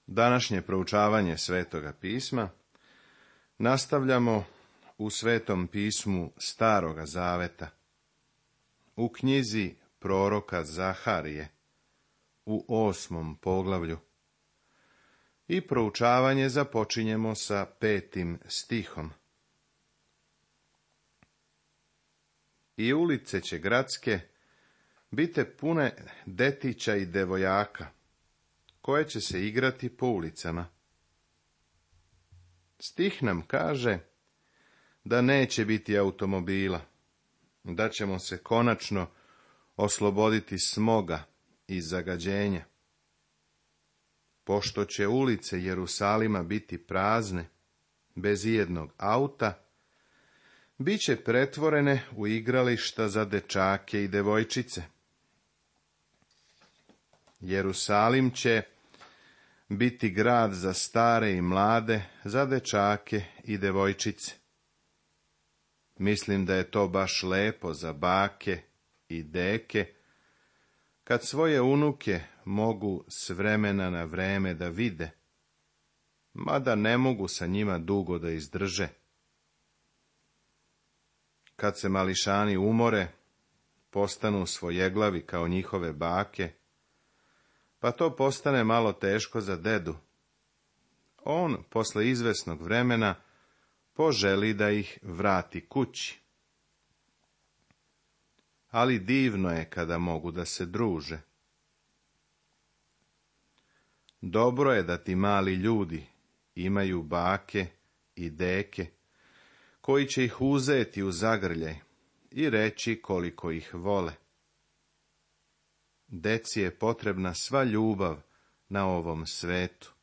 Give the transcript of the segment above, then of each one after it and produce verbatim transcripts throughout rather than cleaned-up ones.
Današnje proučavanje Svetoga pisma nastavljamo u Svetom pismu Staroga zaveta, u knjizi proroka Zaharije, u osmom poglavlju. I proučavanje započinjemo sa petim stihom. I ulice će gradske bite pune detića i devojaka, koje će se igrati po ulicama. Stih nam kaže da neće biti automobila, da ćemo se konačno osloboditi smoga i zagađenja. Pošto će ulice Jerusalima biti prazne, bez ijednog auta, bit će pretvorene u igrališta za dečake i devojčice. Jerusalim će biti grad za stare i mlade, za dečake i devojčice. Mislim da je to baš lepo za bake i deke, kad svoje unuke mogu s vremena na vreme da vide, mada ne mogu sa njima dugo da izdrže. Kad se mališani umore, postanu svojeglavi kao njihove bake, pa to postane malo teško za dedu. On, posle izvesnog vremena, poželi da ih vrati kući. Ali divno je kada mogu da se druže. Dobro je da ti mali ljudi imaju bake i deke, koji će ih uzeti u zagrljaj i reći koliko ih vole. Deci je potrebna sva ljubav na ovom svetu.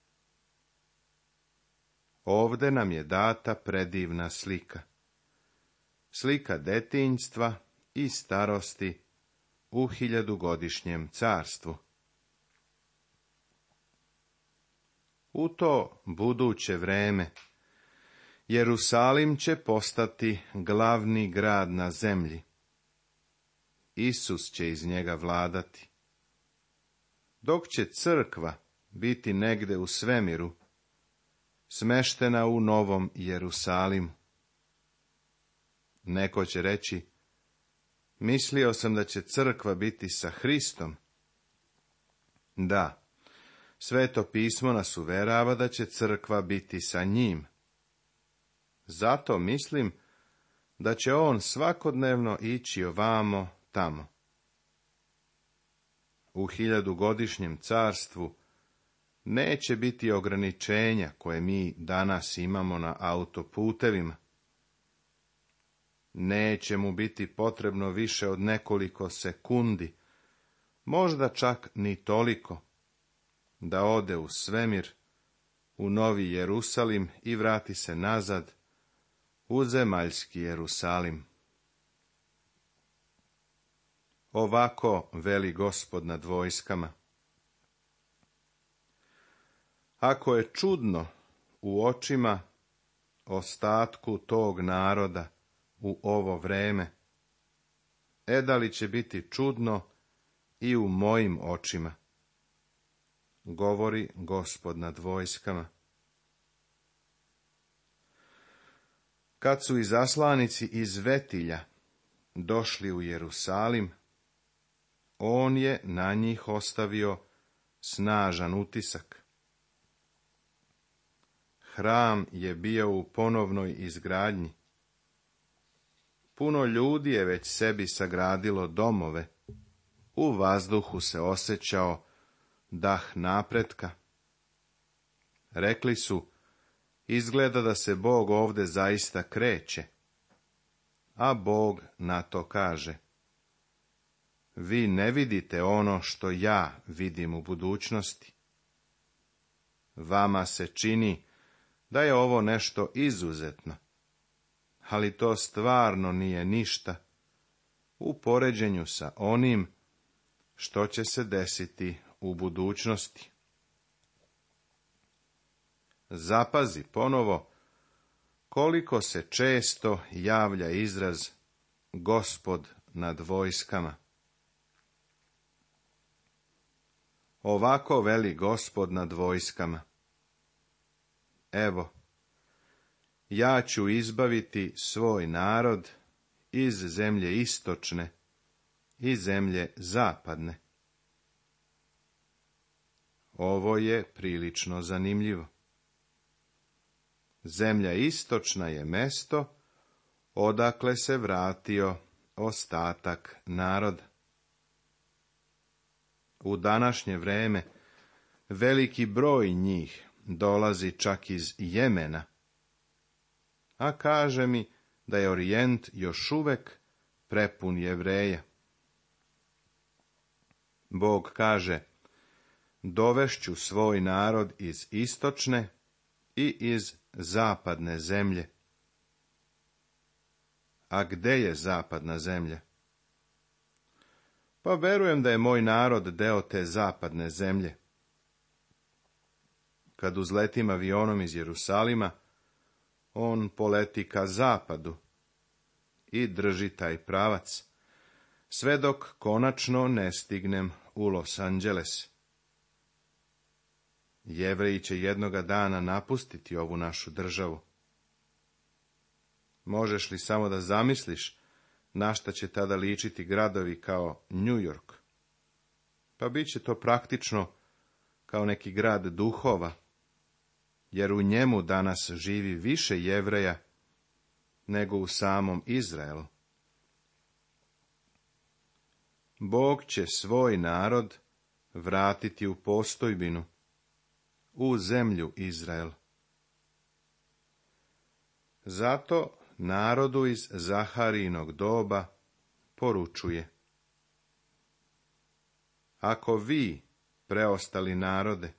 Ovde nam je data predivna slika. Slika detinjstva i starosti u hiljadugodišnjem carstvu. U to buduće vreme Jerusalim će postati glavni grad na zemlji. Isus će iz njega vladati. Dok će crkva biti negde u svemiru, smeštena u Novom Jerusalimu. Neko će reći, mislio sam da će crkva biti sa Hristom. Da, Sveto pismo nas uverava da će crkva biti sa njim. Zato mislim da će on svakodnevno ići ovamo tamo. U hiljadugodišnjem carstvu neće biti ograničenja koje mi danas imamo na autoputevima. Neće mu biti potrebno više od nekoliko sekundi, možda čak ni toliko, da ode u svemir, u Novi Jerusalim i vrati se nazad u zemaljski Jerusalim. Ovako veli Gospod nad vojskama. Ako je čudno u očima ostatku tog naroda u ovo vreme, e da li će biti čudno i u mojim očima, govori Gospod nad vojskama. Kad su izaslanici iz Vetilja došli u Jerusalim, on je na njih ostavio snažan utisak. Hram je bio u ponovnoj izgradnji. Puno ljudi je već sebi sagradilo domove. U vazduhu se osjećao dah napretka. Rekli su, izgleda da se Bog ovde zaista kreće. A Bog na to kaže, vi ne vidite ono što ja vidim u budućnosti. Vama se čini da je ovo nešto izuzetno, ali to stvarno nije ništa u poređenju sa onim što će se desiti u budućnosti. Zapazi ponovo koliko se često javlja izraz Gospod nad vojskama. Ovako veli Gospod nad vojskama. evo, ja ću izbaviti svoj narod iz zemlje istočne i zemlje zapadne. Ovo je prilično zanimljivo. Zemlja istočna je mesto odakle se vratio ostatak naroda. U današnje vreme veliki broj njih dolazi čak iz Jemena, a kaže mi da je Orijent još uvek prepun Jevreja. Bog kaže, dovešću svoj narod iz istočne i iz zapadne zemlje. A gde je zapadna zemlja? Pa verujem da je moj narod deo te zapadne zemlje. Kad uzletim avionom iz Jerusalima, on poleti ka zapadu i drži taj pravac, sve dok konačno ne stignem u Los Angeles. Jevreji će jednoga dana napustiti ovu našu državu. Možeš li samo da zamisliš na šta će tada ličiti gradovi kao New York? Pa bit će to praktično kao neki grad duhova, jer u njemu danas živi više Jevreja nego u samom Izraelu. Bog će svoj narod vratiti u postojbinu, u zemlju Izrael. Zato narodu iz Zaharijinog doba poručuje: ako vi, preostali narode,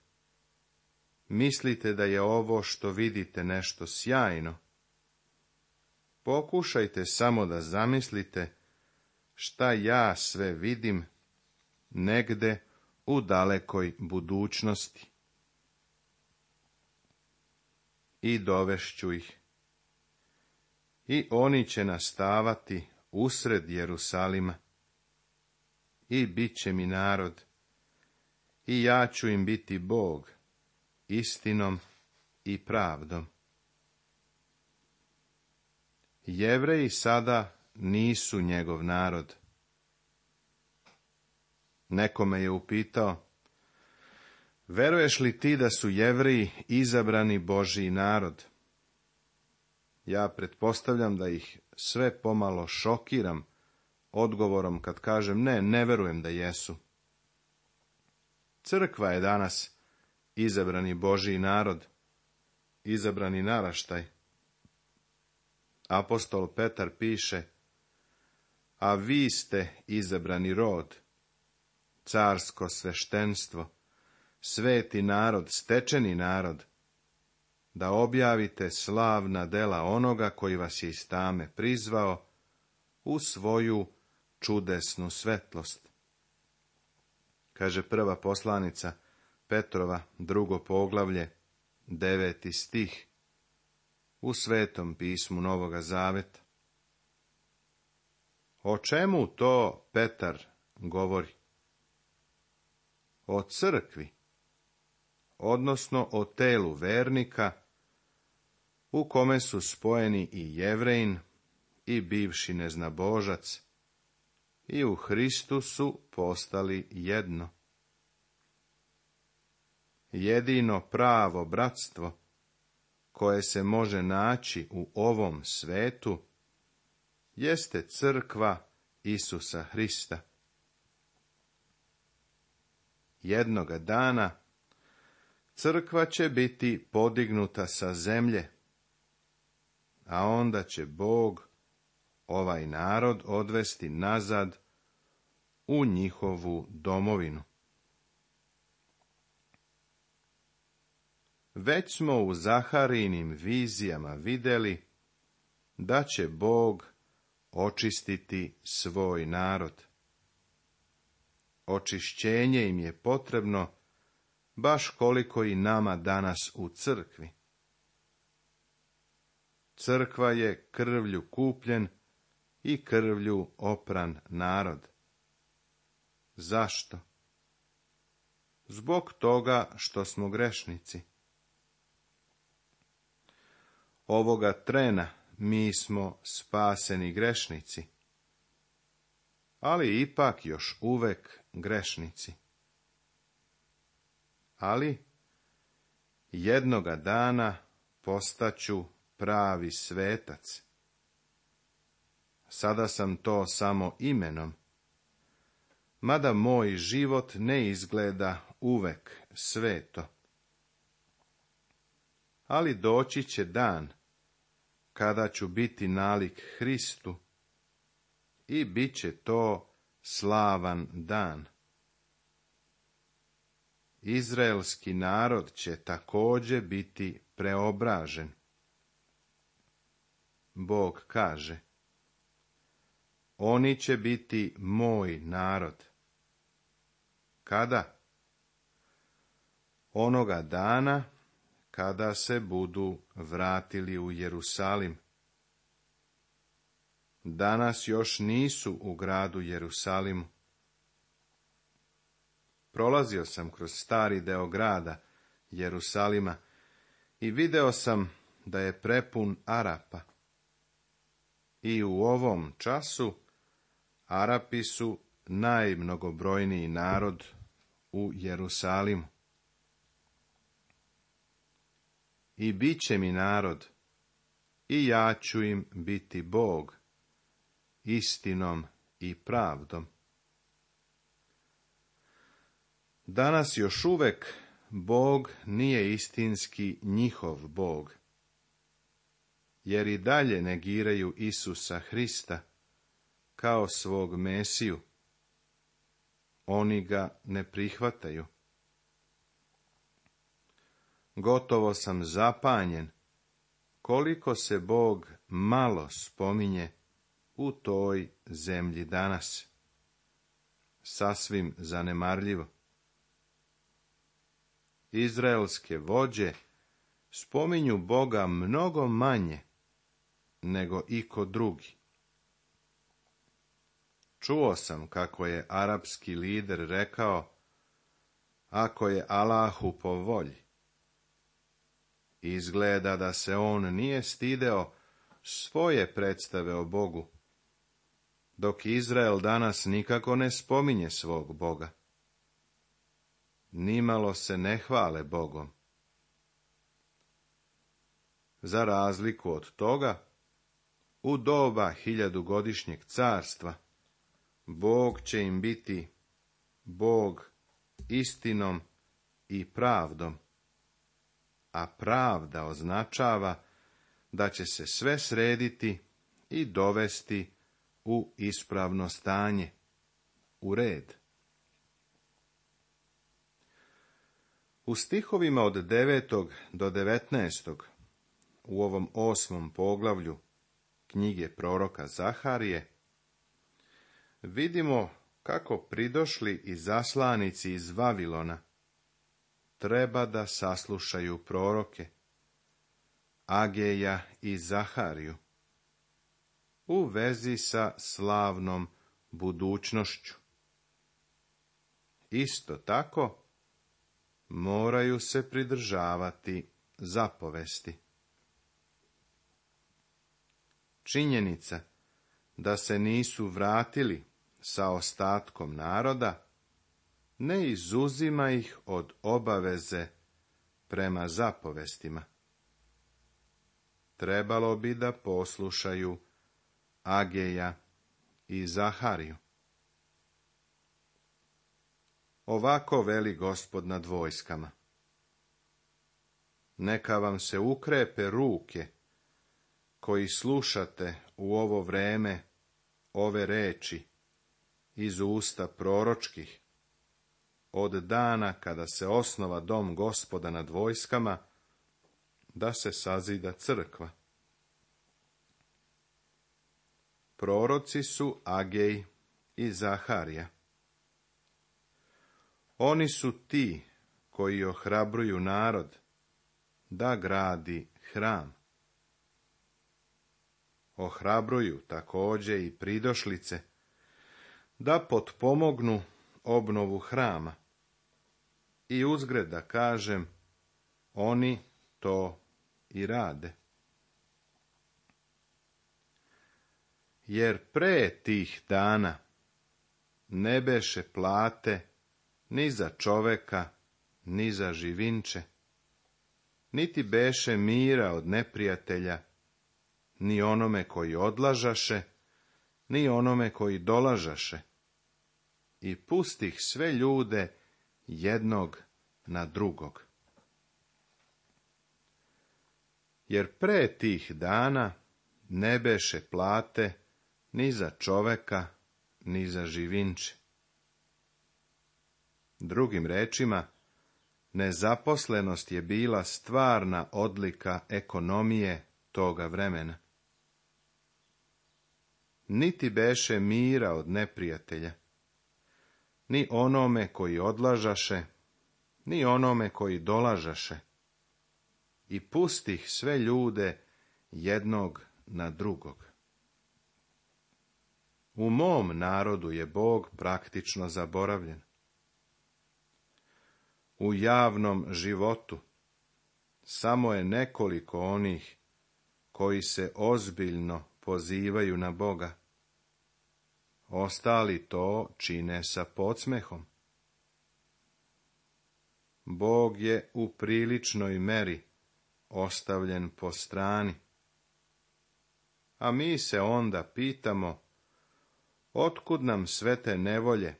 mislite da je ovo što vidite nešto sjajno, pokušajte samo da zamislite šta ja sve vidim negde u dalekoj budućnosti. I dovešću ih. I oni će nastavati usred Jerusalima. I bit će mi narod. I ja ću im biti Bog, istinom i pravdom. Jevreji sada nisu njegov narod. Neko me je upitao: veruješ li ti da su Jevreji izabrani Božji narod? Ja pretpostavljam da ih sve pomalo šokiram odgovorom kad kažem ne, ne verujem da jesu. Crkva je danas izabrani Božji narod, izabrani naraštaj. Apostol Petar piše: a vi ste izabrani rod, carsko sveštenstvo, sveti narod, stečeni narod, da objavite slavna dela onoga koji vas je iz tame prizvao u svoju čudesnu svetlost. Kaže prva poslanica Petrova, drugo poglavlje, deveti stih, u Svetom pismu Novoga Zaveta. O čemu to Petar govori? O crkvi, odnosno o telu vernika, u kome su spojeni i Jevrejin i bivši neznabožac, i u Hristu su postali jedno. Jedino pravo bratstvo koje se može naći u ovom svetu jeste crkva Isusa Hrista. Jednoga dana crkva će biti podignuta sa zemlje, a onda će Bog ovaj narod odvesti nazad u njihovu domovinu. Već smo u Zaharijinim vizijama vidjeli da će Bog očistiti svoj narod. Očišćenje im je potrebno baš koliko i nama danas u crkvi. Crkva je krvlju kupljen i krvlju opran narod. Zašto? Zbog toga što smo grešnici. Ovoga trena mi smo spaseni grešnici, ali ipak još uvek grešnici. Ali jednoga dana postaću pravi svetac. Sada sam to samo imenom, mada moj život ne izgleda uvek sveto. Ali doći će dan kada ću biti nalik Hristu i bit će to slavan dan. Izraelski narod će također biti preobražen. Bog kaže, oni će biti moj narod. Kada? Onoga dana kada se budu vratili u Jerusalim. Danas još nisu u gradu Jerusalimu. Prolazio sam kroz stari deo grada Jerusalima i video sam da je prepun Arapa. I u ovom času Arapi su najmnogobrojniji narod u Jerusalimu. I bit će mi narod, i ja ću im biti Bog, istinom i pravdom. Danas još uvek Bog nije istinski njihov Bog, jer i dalje negiraju Isusa Hrista kao svog Mesiju. Oni ga ne prihvataju. Gotovo sam zapanjen koliko se Bog malo spominje u toj zemlji danas. Sasvim zanemarljivo. Izraelske vođe spominju Boga mnogo manje nego iko drugi. Čuo sam kako je arapski lider rekao, ako je Allahu po volji. Izgleda da se on nije stideo svoje predstave o Bogu, dok Izrael danas nikako ne spominje svog Boga. Nimalo se ne hvale Bogom. Za razliku od toga, u doba hiljadugodišnjeg carstva, Bog će im biti Bog istinom i pravdom, a pravda označava da će se sve srediti i dovesti u ispravno stanje, u red. U stihovima od devetog do devetnaestog u ovom osmom poglavlju knjige proroka Zaharije vidimo kako pridošli i zaslanici iz Vavilona treba da saslušaju proroke Ageja i Zahariju u vezi sa slavnom budućnošću. Isto tako moraju se pridržavati zapovesti. Činjenica da se nisu vratili sa ostatkom naroda ne izuzima ih od obaveze prema zapovestima. Trebalo bi da poslušaju Ageja i Zahariju. Ovako veli Gospod nad vojskama. Neka vam se ukrepe ruke, koji slušate u ovo vreme ove reči iz usta proročkih, od dana kada se osnova dom Gospoda nad vojskama, da se sazida crkva. Proroci su Agej i Zaharija. Oni su ti koji ohrabruju narod da gradi hram. Ohrabruju također i pridošlice da potpomognu obnovu hrama. I uzgred da kažem, oni to i rade. jer pre tih dana ne beše plate ni za čoveka, ni za živinče, niti beše mira od neprijatelja, ni onome koji odlažaše, ni onome koji dolažaše, i pustih sve ljude jednog na drugog. Jer pre tih dana ne beše plate ni za čoveka, ni za živinče. Drugim rečima, nezaposlenost je bila stvarna odlika ekonomije toga vremena. Niti beše mira od neprijatelja, ni onome koji odlažaše, ni onome koji dolažaše, i pustih sve ljude jednog na drugog. U mom narodu je Bog praktično zaboravljen. U javnom životu samo je nekoliko onih koji se ozbiljno pozivaju na Boga. Ostali to čine sa podsmehom. Bog je u priličnoj meri ostavljen po strani. A mi se onda pitamo, otkud nam sve te nevolje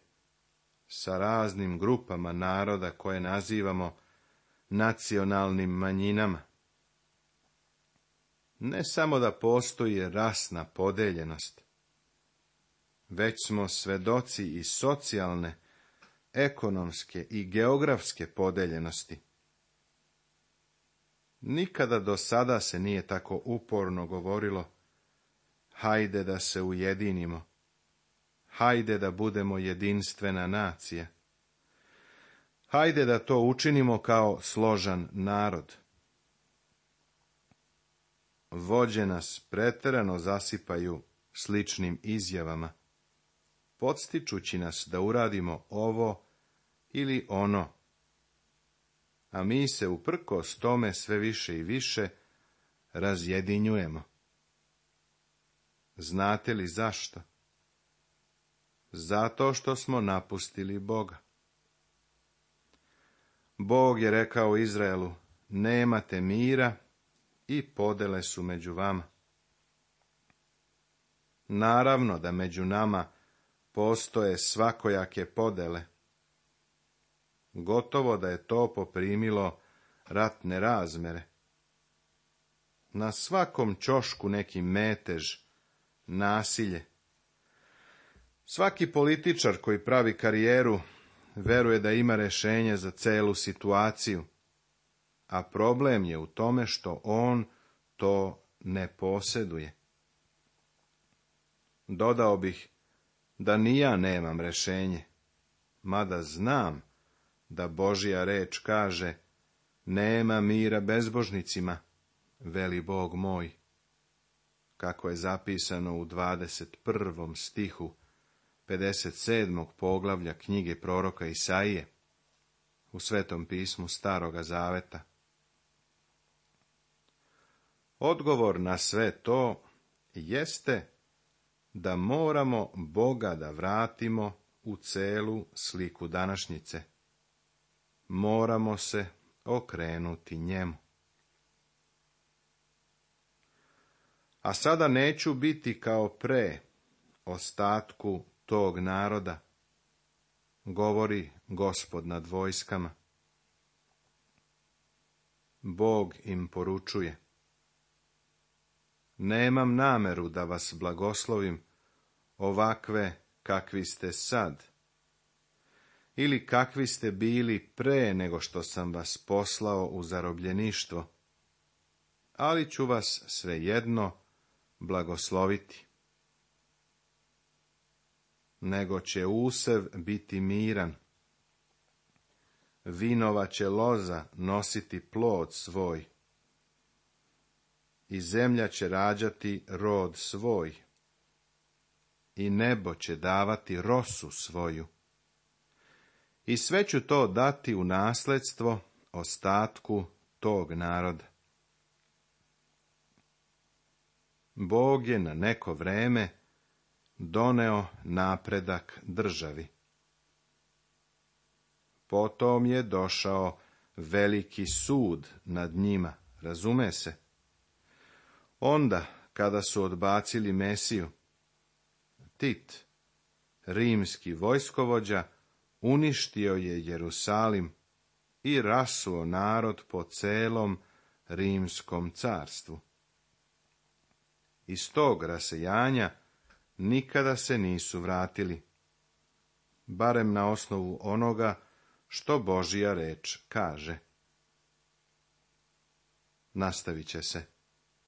sa raznim grupama naroda koje nazivamo nacionalnim manjinama? Ne samo da postoji rasna podeljenost, već smo svedoci i socijalne, ekonomske i geografske podeljenosti. Nikada do sada se nije tako uporno govorilo, hajde da se ujedinimo, hajde da budemo jedinstvena nacija, hajde da to učinimo kao složan narod. Vođe nas preterano zasipaju sličnim izjavama, podstičući nas da uradimo ovo ili ono, a mi se uprkos tome sve više i više razjedinjujemo. Znate li zašto? Zato što smo napustili Boga. Bog je rekao Izraelu, nemate mira, i podele su među vama. Naravno da među nama postoje svakojake podele. Gotovo da je to poprimilo ratne razmere. Na svakom ćošku neki metež, nasilje. Svaki političar koji pravi karijeru veruje da ima rješenje za celu situaciju, a problem je u tome što on to ne posjeduje. Dodao bih da ni ja nemam rješenje, mada znam da Božja reč kaže, nema mira bezbožnicima, veli Bog moj, kako je zapisano u dvadeset prvom stihu pedeset sedmog poglavlja knjige proroka Isaije u Svetom pismu Staroga Zaveta. Odgovor na sve to jeste da moramo Boga da vratimo u celu sliku današnjice. Moramo se okrenuti njemu. A sada neću biti kao pre ostatku tog naroda, govori Gospod nad vojskama. Bog im poručuje, nemam nameru da vas blagoslovim ovakve kakvi ste sad, ili kakvi ste bili pre nego što sam vas poslao u zarobljeništvo, ali ću vas svejedno blagosloviti. Nego će usev biti miran, vinova će loza nositi plod svoj, i zemlja će rađati rod svoj, i nebo će davati rosu svoju. I sve ću to dati u nasledstvo ostatku tog naroda. Bog je na neko vreme doneo napredak državi. Potom je došao veliki sud nad njima, razume se. Onda, kada su odbacili Mesiju, Tit, rimski vojskovođa, uništio je Jerusalim i rasuo narod po celom rimskom carstvu. Iz tog rasejanja nikada se nisu vratili, barem na osnovu onoga što Božja reč kaže. Nastavit će se.